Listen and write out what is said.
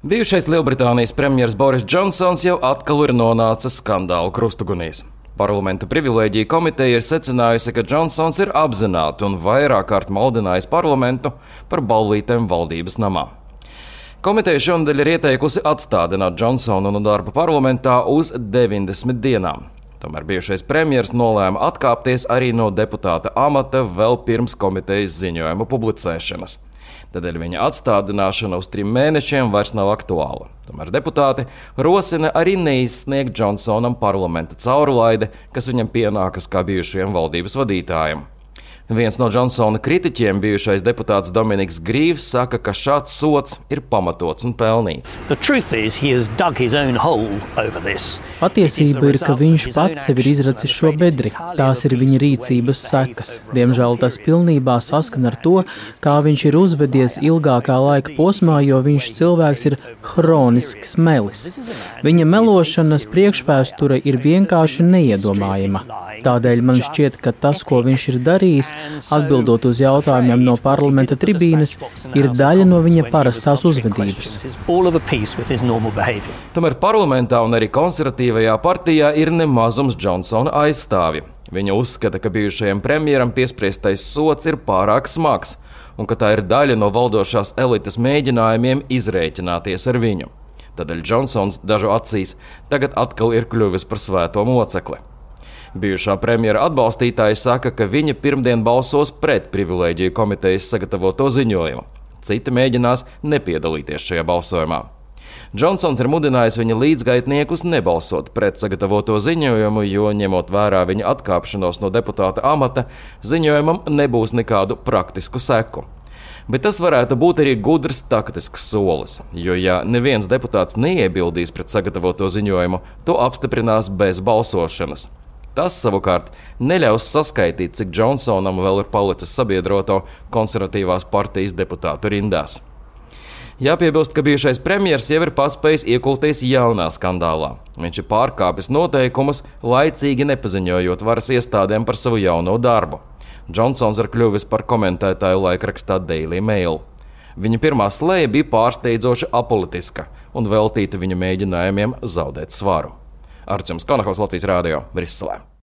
Bijušais Lielbritānijas premjers Boris Džonsons jau atkal ir nonācis skandālu krustugunīs. Parlamenta privilēģija komiteja ir secinājusi, ka Džonsons ir apzināti un vairāk kārt maldinājis parlamentu par ballītēm valdības namā. Komiteja šonadēļ ir ieteikusi atstādināt Džonsonu no darba parlamentā uz 90 dienām. Tomēr bijušais premjers nolēma atkāpties arī no deputāta amata vēl pirms komitejas ziņojuma publicēšanas. Tādēļ viņa atstādināšana uz 3 mēnešiem vairs nav aktuāla. Tomēr deputāti rosina arī neizsniegt Džonsonam parlamenta caurlaide, kas viņam pienākas kā bijušajam valdības vadītājam. Viens no Džonsona kritiķiem, bijušais deputāts Dominiks Grīvs, saka, ka šāds sods ir pamatots un pelnīts. Patiesība ir, ka viņš pats sev ir izracis šo bedri. Tās ir viņa rīcības sekas. Diemžēl tas pilnībā saskan ar to, kā viņš ir uzvedies ilgākā laika posmā, jo viņš cilvēks ir hronisks melis. Viņa melošanas priekšvēsture ir vienkārši neiedomājama. Tādēļ man šķiet, ka tas, ko viņš ir darījis, atbildot uz jautājumiem no parlamenta tribīnes, ir daļa no viņa parastās uzvedības. Tomēr parlamentā un arī konservatīvajā partijā ir nemazums Džonsona aizstāvji. Viņa uzskata, ka bijušajam premjeram piespriestais sods ir pārāk smags un ka tā ir daļa no valdošās elites mēģinājumiem izrēķināties ar viņu. Tādēļ Džonsons dažu acīs tagad atkal ir kļuvis par svēto mocekli. Bijušā premjera atbalstītāji saka, ka viņa pirmdien balsos pret privilēģiju komitejas sagatavoto ziņojumu. Citi mēģinās nepiedalīties šajā balsojumā. Džonsons ir mudinājis viņa līdzgaitniekus nebalsot pret sagatavoto ziņojumu, jo, ņemot vērā viņa atkāpšanos no deputāta amata, ziņojumam nebūs nekādu praktisku seku. Bet tas varētu būt arī gudrs taktisks solis, jo, ja neviens deputāts neiebildīs pret sagatavoto ziņojumu, to apstiprinās bez balsošanas. Tas savukārt neļaus saskaitīt, cik Džonsonam vēl ir palicis sabiedroto konservatīvās partijas deputātu rindās. Jāpiebilst, ka bijušais premjers jau ir paspējis iekulties jaunā skandālā. Viņš ir pārkāpis noteikumus, laicīgi nepaziņojot varas iestādēm par savu jauno darbu. Džonsons ir kļuvis par komentētāju laikrakstā Daily Mail. Viņa pirmā slēja bija pārsteidzoši apolitiska un veltīta viņa mēģinājumiem zaudēt svaru. Arčuns Konakovs, Latvijas Rādio, Briselē.